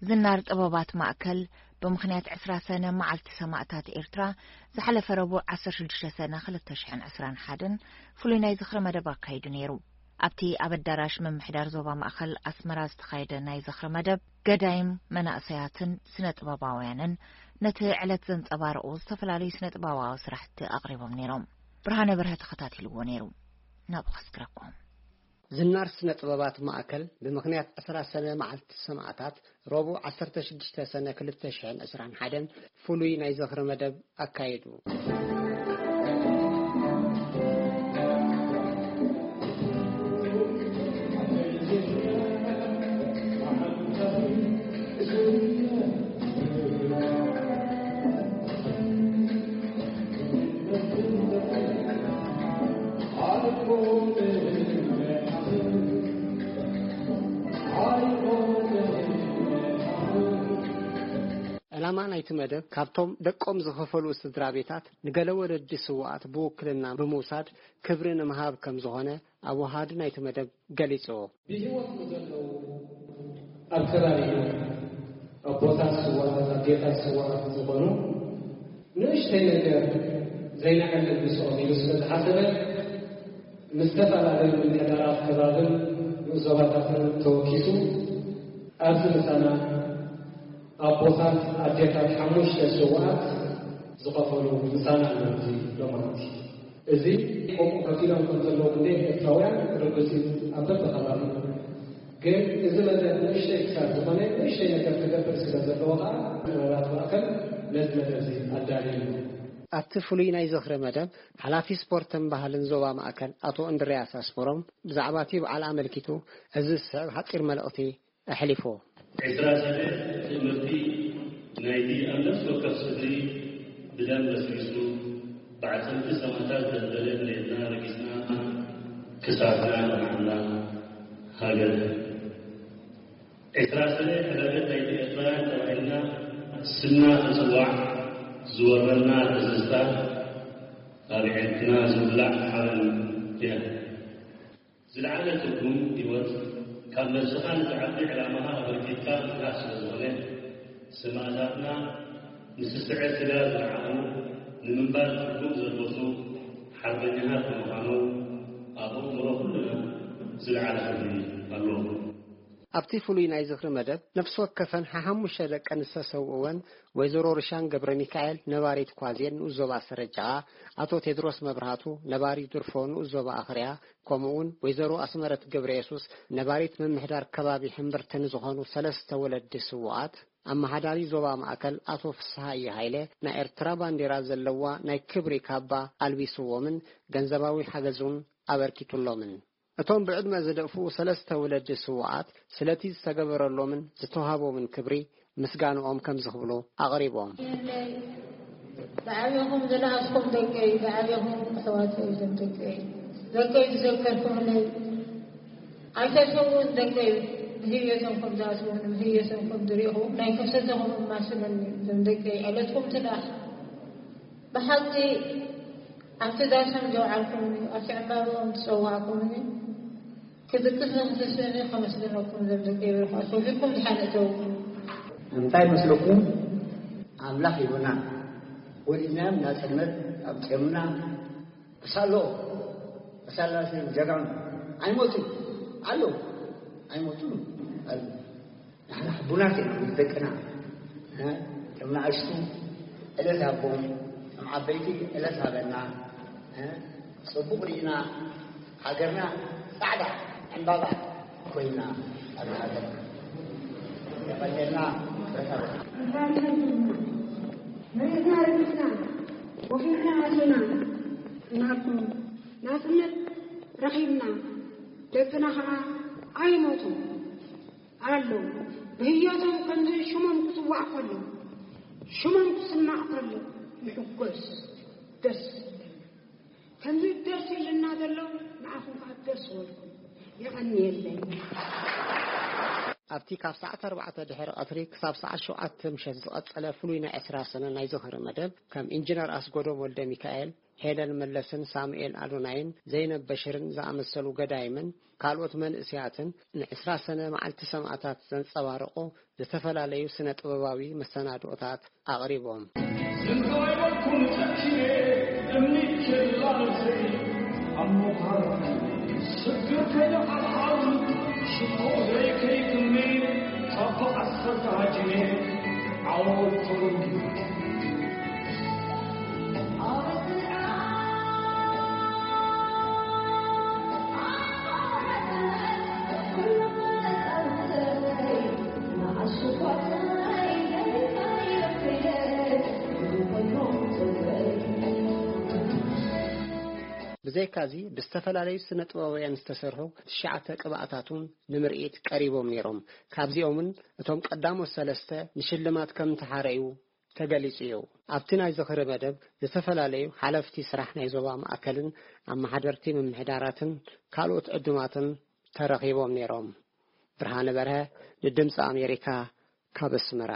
ዝናር ጥበባት ማእከል ብምኽንያት ዕስራ ሰነ መዓልቲ ሰማእታት ኤርትራ ዝሓለፈ ረቡዕ ዓሰርተ ሽዱሽተ ሰነ ክልተ ሽሕን ዕስራን ሓደን ፍሉይ ናይ ዝኽሪ መደብ ኣካይዱ ነይሩ። ኣብቲ ኣብ ኣዳራሽ ምምሕዳር ዞባ ማእከል ኣስመራ ዝተኻየደ ናይ ዝኽሪ መደብ፣ ገዳይም መናእሰያትን ስነ ጥበባውያንን ነቲ ዕለት ዘንጸባርቑ ዝተፈላለዩ ስነ ጥበባዊ ስራሕቲ ኣቕሪቦም ነይሮም። ብርሃነ በርሀ ተኸታቲልዎ ነይሩ። ናብኡ ከስግረኩም። ዝናር ስነ ጥበባት ማእከል ብምኽንያት ዕስራ ሰነ መዓልቲ ሰማእታት ረቡዕ ዓሰርተ ሽዱሽተ ሰነ ክልተ ሽሕን ዕስራን ሓደን ፍሉይ ናይ ዝኽሪ መደብ ኣካይዱ። ዕላማ ናይቲ መደብ፣ ካብቶም ደቆም ዝኸፈሉ ስድራ ቤታት ንገለ ወለዲ ስውኣት ብውክልና ብምውሳድ ክብሪ ንምሃብ ከም ዝኾነ ኣብ ወሃዲ ናይቲ መደብ ገሊጹ። ብህይወት ንዘለዉ፣ ኣብ ከባቢ ኣቦታት ስውኣት፣ ኣዴታት ስውኣት ዝኾኑ፣ ንእሽተይ ነገር ዘይንዕልል ምስኦም ኢሉ ስለ ዝሓሰበ፣ ምስ ዝተፈላለዩ ምምሕዳራት ከባብን ንኡስ ዞባታትን ተወኪሱ፣ ኣብዚ ምሳና ኣቦታት፣ ኣዴታት ሓሙሽተ ስውኣት ዝኸፈሉ ምሳና ኣለዉ። እዚ ሎማዓንቲ እዚ ከምኡ ከፊሎም ከም ዘለዉ ክንደይ ኤርትራውያን ርዱእ እዩ። ኣብ በብኸባቢ ግን እዚ መደብ ንእሽተይ ክሳብ ዝኾነ፣ ንእሽተይ ነገር ክገብር ስለ ዘለዎ ከዓ፣ ጥበባት ማእከል ነዚ መደብ እዚ ኣዳልዩ እዩ። ኣብቲ ፍሉይ ናይ ዝኽሪ መደብ፣ ሓላፊ ስፖርትን ባህልን ዞባ ማእከል ኣቶ እንድርያስ ኣስመሮም ብዛዕባ እቲ በዓል ኣመልኪቱ እዚ ዝስዕብ ሓጺር መልእኽቲ ኣሕሊፉ። ዕስራ ሰነ ትእምርቲ ናይቲ ኣብ ነፍሲ ወከፍ ስድሪ ብደም በስቢሱ፣ ብዓጽምቲ ሰማእታት ዘንበለ መሬትና ረጊጽና፣ ክሳድና ለማዕና ሃገር። ዕስራ ሰነ ዕላገት ናይቲ ኤርትራውያን ተባሂልና ስምና ክጽዋዕ ዝወረና ትዝታ፣ ኣብ ዕርክና ዝውላዕ ሓበን እያ። ዝለዓለ ትርጉም ህይወት፣ ካብ ነብስኻ ንዝዓቢ ዕላማኻ ኣበርኪትካ ምትራፍ ስለ ዝኾነ፣ ሰማእታትና ንስስዐ ስጋ ዝረዓሙ፣ ንምንባር ትርጉም ዘልበሱ ሓርበኛታት ብምዃኖም፣ ኣብ ኣእምሮ ኩልና ዝለዓለ ክብሪ ኣለዎ። ኣብቲ ፍሉይ ናይ ዝኽሪ መደብ፣ ነፍሲ ወከፈን ሓሙሽተ ደቀን ዝተሰውእወን ወይዘሮ ርሻን ገብረ ሚካኤል፣ ነባሪት ኳዜን ንኡስ ዞባ ሰረጃኣ፣ ኣቶ ቴድሮስ መብርሃቱ፣ ነባሪ ድርፎ ንኡስ ዞባ ኣኽርያ፣ ከምኡውን ወይዘሮ ኣስመረት ገብረ የሱስ፣ ነባሪት ምምሕዳር ከባቢ ሕምብርቲ ንዝኾኑ ሰለስተ ወለዲ ስውኣት፣ ኣመሓዳሪ ዞባ ማእከል ኣቶ ፍስሃየ ሃይለ፣ ናይ ኤርትራ ባንዴራ ዘለዋ ናይ ክብሪ ካባ ኣልቢስዎምን ገንዘባዊ ሓገዝ እውን ኣበርኪቱሎምን። እቶም ብዕድመ ዝደፍኡ ሰለስተ ወለዲ ስውኣት፣ ስለቲ ዝተገበረሎምን ዝተዋህቦምን ክብሪ ምስጋንኦም ከምዚ ክብሉ ኣቕሪቦም። ዝዓበኹም ዝለኣኽኩም ደቀይ፣ ዝዓበኹም ኣሕዋተይ፣ እዞም ደቀይ፣ ደቀይ ዝዘከርኩምለይ፣ ኣይተሰውን ደቀይ፣ ብህየቶም ከም ዝኣስቡን ብህየቶም ከም ዝሪእኹም ናይ ከሰተኹም እማስለኒ፣ እዞም ደቀይ፣ ዕለትኩም ትላእ። ብሓቂ ኣብቲ ዳሶም ዘውዓልኩምኒ፣ ኣብቲ ዕምባብኦም ዝጸዋዕኩምኒ፣ ክድቅስ ንክትስእኒ ከመስግነኩም ዘምልክ ይብልኩ ኣስወፊኩም ድሓን እተው። እንታይ መስለኩም? ኣምላኽ ሂቡና፣ ወሊድናዮም ናጽነት ኣብ ጾምና። ክሳሎ፣ ክሳላ ጀጋኑ ኣይሞቱን ኣለዉ፣ ኣይሞቱን ኣለዉ። ንሕና ሕቡናት ኢና ምስ ደቅና፣ እ፣ ከም ንኣሽቱ ዕለት ሃቦም፣ ከም ዓበይቲ ዕለት ሃበና፣ እ፣ ጽቡቕ ርኢና፣ ሃገርና ጻዕዳ ዕምባባ ኮይና፣ ኣብ ሃገርና የቐንየልና። መሬትና ረጊጽና፣ ወፊርና ኣቲና፣ እናልኩም ናጽነት ረኺብና፣ ደቅና ኸዓ ኣይሞቱን። ኣለዉ። ብህይወቶም ከምዚ ሽሞም ክጽዋዕ ከሎ፣ ሽሞም ክስማዕ ከሎ፣ ንሕጎስ፣ ደስ ይብለና። ከምዚ ደስ ኢልና ዘሎ፣ ንዓኹም ከኣ ደስ በልኩም። የቐንየለይ። ኣብቲ ካብ ሰዓት ኣርባዕተ ድሕሪ ቀትሪ ክሳብ ሰዓት ሸውዓተ ምሸት ዝቐጸለ ፍሉይ ናይ ዕስራ ሰነ ናይ ዝኽሪ መደብ፣ ከም ኢንጂነር ኣስጎዶም ወልደ ሚካኤል፣ ሄለን መለስን ሳሙኤል ኣዶናይን ዘይነብ በሽርን ዝኣመሰሉ ገዳይምን ካልኦት መንእስያትን ንዕስራ ሰነ መዓልቲ ሰማእታት ዘንጸባረቑ ዝተፈላለዩ ስነ ጥበባዊ መሰናድኦታት ኣቕሪቦም። ዝንጋይበልኩም ጨኪነ እምኒ ኬላ ነብሰይ ኣብ ምዃር ስግር ከይኑ ሓብሓብ ሽኮር ዘይከይትሜ ካብ ዓሰርተ ሃጂነ ዓወት ተወልዱ። ብዘይካዚ ብዝተፈላለዩ ስነ ጥበባውያን ዝተሰርሑ ትሽዓተ ቅብኣታት እውን ንምርኢት ቀሪቦም ነይሮም። ካብዚኦምን እቶም ቀዳሞት ሰለስተ ንሽልማት ከም ተሓረዩ ተገሊጹ እዩ። ኣብቲ ናይ ዝኽሪ መደብ ዝተፈላለዩ ሓለፍቲ ስራሕ ናይ ዞባ ማእከልን ኣመሓደርቲ ምምሕዳራትን ካልኦት ዕዱማትን ተረኺቦም ነይሮም። ብርሃነ በርሀ ንድምፂ ኣሜሪካ ካብ ኣስመራ።